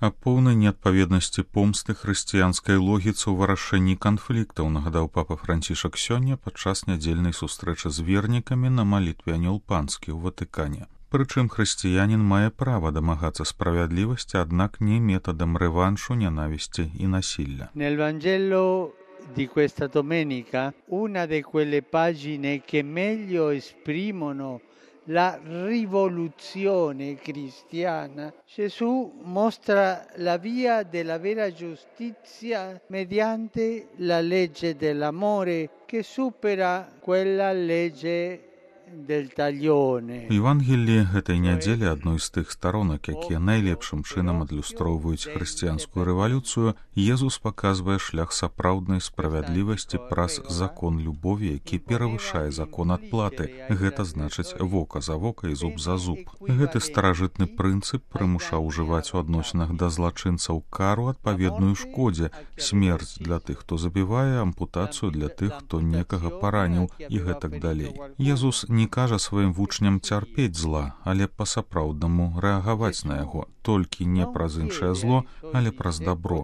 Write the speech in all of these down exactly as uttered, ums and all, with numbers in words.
Аб поўнай неадпаведнасці помсты хрысціянскай логіцы ў вырашэнні канфліктаў нагадаў папа Францішак сёння падчас нядзельнай сустрэчы з вернікамі на малітве Анёл Панскі ў Ватыкане. Прычым хрысціянін мае права дамагацца справядлівасці, аднак не метадам рэваншу, нянавісці і насілля. Nel Vangelo di questa domenica, una di quelle pagine che meglio esprimono la rivoluzione cristiana, Gesù mostra la via della vera giustizia mediante la legge dell'amore che supera quella legge del taglione. У Евангеліі гэтай нядзелі адной з тых старонак, якія найлепшым чынам адлюстроўваюць хрысціянскую рэвалюцыю, Езус паказвае шлях сапраўднай справядлівасці праз закон любові, які перавышае закон адплаты. Гэта значыць вока за вока і зуб за зуб. Гэты старажытны прынцып прымушаў ужываць у адносінах да злачынцаў кару адпаведную шкодзе, смерць для тых, хто забівае, ампутацыю для тых, хто некага параніў і гэтак далей. Езус не кажа сваім вучням цярпець зла, але па-сапраўднаму рэагаваць на яго, толькі не праз іншае зло, але праз дабро.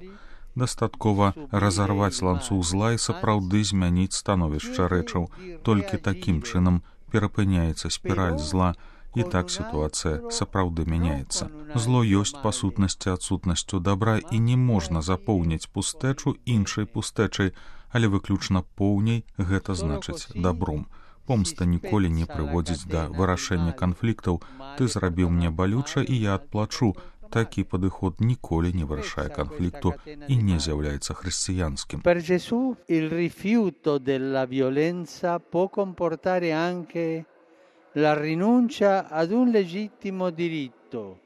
Дастаткова разарваць ланцуг зла і сапраўды змяніць становішча рэчаў. Толькі такім чынам перапыняецца спіраль зла, і так сітуацыя сапраўды мяняецца. Зло ёсць па сутнасці адсутнасцю дабра, і не можна запоўніць пустэчу іншай пустэчай, але выключна поўняй, гэта значыць дабром. Помста ніколі не прыводзіць да вырашэння канфліктаў. Ты зрабіў мне балюча, і я адплачу. Такі падыход ніколі не вырашае канфлікту і не з'яўляецца хрысціянскім. Per Gesù il rifiuto della violenza può comportare anche la rinuncia ad un legittimo diritto.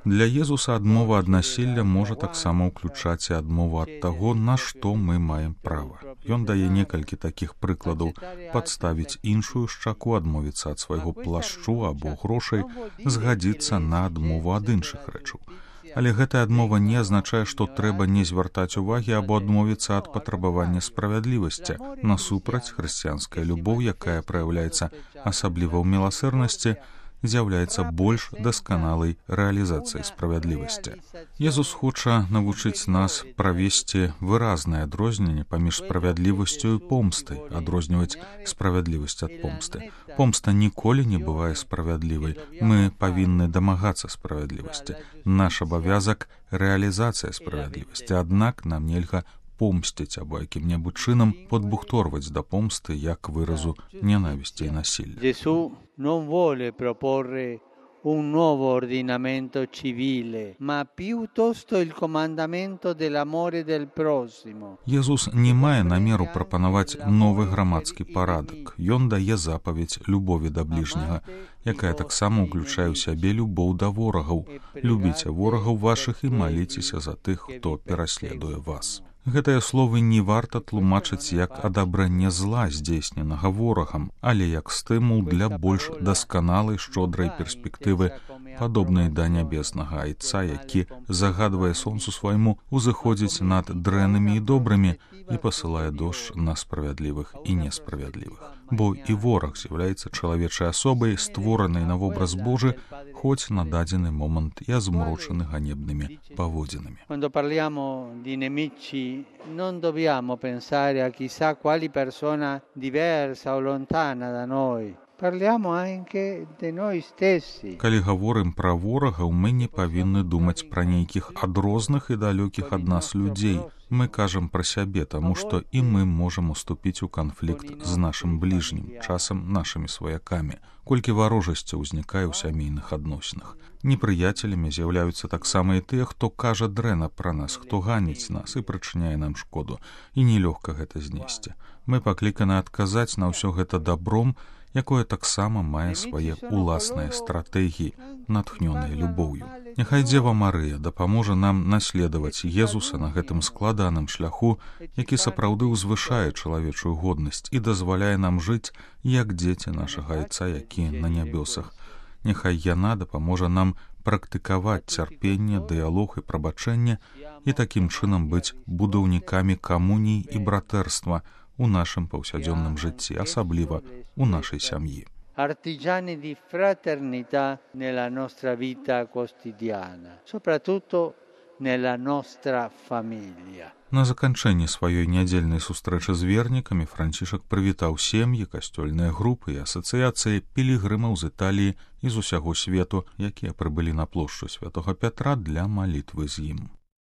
Для Езуса адмова ад насілля можа таксама ўключаць і адмову ад таго, на што мы маем права. Ён дае некалькі такіх прыкладаў: падставіць іншую шчаку, адмовіцца ад свайго плашчу або грошай, згадзіцца на адмову ад іншых рэчаў. Але гэтая адмова не азначае, што трэба не звяртаць увагі або адмовіцца ад патрабавання справядлівасці. Насупраць, хрысціянская любоў, якая праяўляецца асабліва ў міласэрнасці, з'яўляецца больш дасканалай рэалізацыяй справядлівасці. Езус хоча навучыць нас правесці выразнае адрозненне паміж справядлівасцю і помстай, адрозніваць справядлівасць ад помсты. Помста ніколі не бывае справядлівай. Мы павінны дамагацца справядлівасці. Наш абавязак — рэалізацыя справядлівасці, аднак нам нельга помсціць або якім-небудзь чынам падбухторваць да помсты як выразу нянавісці і насілля. Gesù non vuole proporre un nuovo ordinamento civile, ma piuttosto il comandamento dell'amore del prossimo. Езус не мае намеру прапанаваць новы грамадскі парадак. Ён дае запаведь любові да бліжняга, якая таксама ўключае ў сябе любоў да ворагаў. Любіце ворагаў вашых і маліцеся за тых, хто пераследуе вас. Гэтыя словы не варта тлумачыць як адабранне зла, здзейсненага ворагам, але як стымул для больш дасканалай шчодрай перспектывы, падобнай да нябеснага айца, які загадвае сонцу свайму узыходзіць над дрэннымі і добрымі і пасылае дождж на справядлівых і несправядлівых. Бо і вораг з'яўляецца чалавечай асобай, створанай на вобраз Божы, хоць на дадзены момант і азмрочаны ганебнымі паводзінамі. Quando parliamo di nemici, non dobbiamo pensare a chissà quali persona diversa o lontana da noi. Parliamo anche di noi stessi. Калі гаворым пра ворагаў, мы не павінны думаць пра нейкіх адрозных і далёкіх ад нас людзей. Мы кажам пра сябе, таму што і мы можам уступіць у канфлікт з нашым бліжнім, часам нашымі сваякамі. Колькі варожасці ўзнікае ў сямейных адносінах. Непрыяцелямі з'яўляюцца таксама і тыя, хто кажа дрэнна пра нас, хто ганіць нас і прычыняе нам шкоду. І нелёгка гэта знесці. Мы пакліканы адказаць на ўсё гэта дабром, якое таксама мае свае уласныя стратэгіі, натхнёныя любоўю. Няхай Дзева Марыя дапаможа нам наследаваць Езуса на гэтым складаным шляху, які сапраўды ўзвышае чалавечую годнасць і дазваляе нам жыць, як дзеці нашага айца, які на нябёсах. Няхай яна дапаможа нам практыкаваць цярпенне, дыялог і прабачэнне і такім чынам быць будаўнікамі камуніі і братэрства у нашым паўсядзённым жыцці, асабліва у нашай сям'і. artigiani di fraternità nella nostra vita quotidiana, soprattutto nella nostra famiglia. На заканчэнне сваёй нядзельнай сустрэчы з вернікамі Францішак прывітаў сем'і, касцёльныя групы і асацыяцыі пілігрымаў з Італіі і з усяго свету, якія прыбылі на плошчу святога Пятра для малітвы з ім.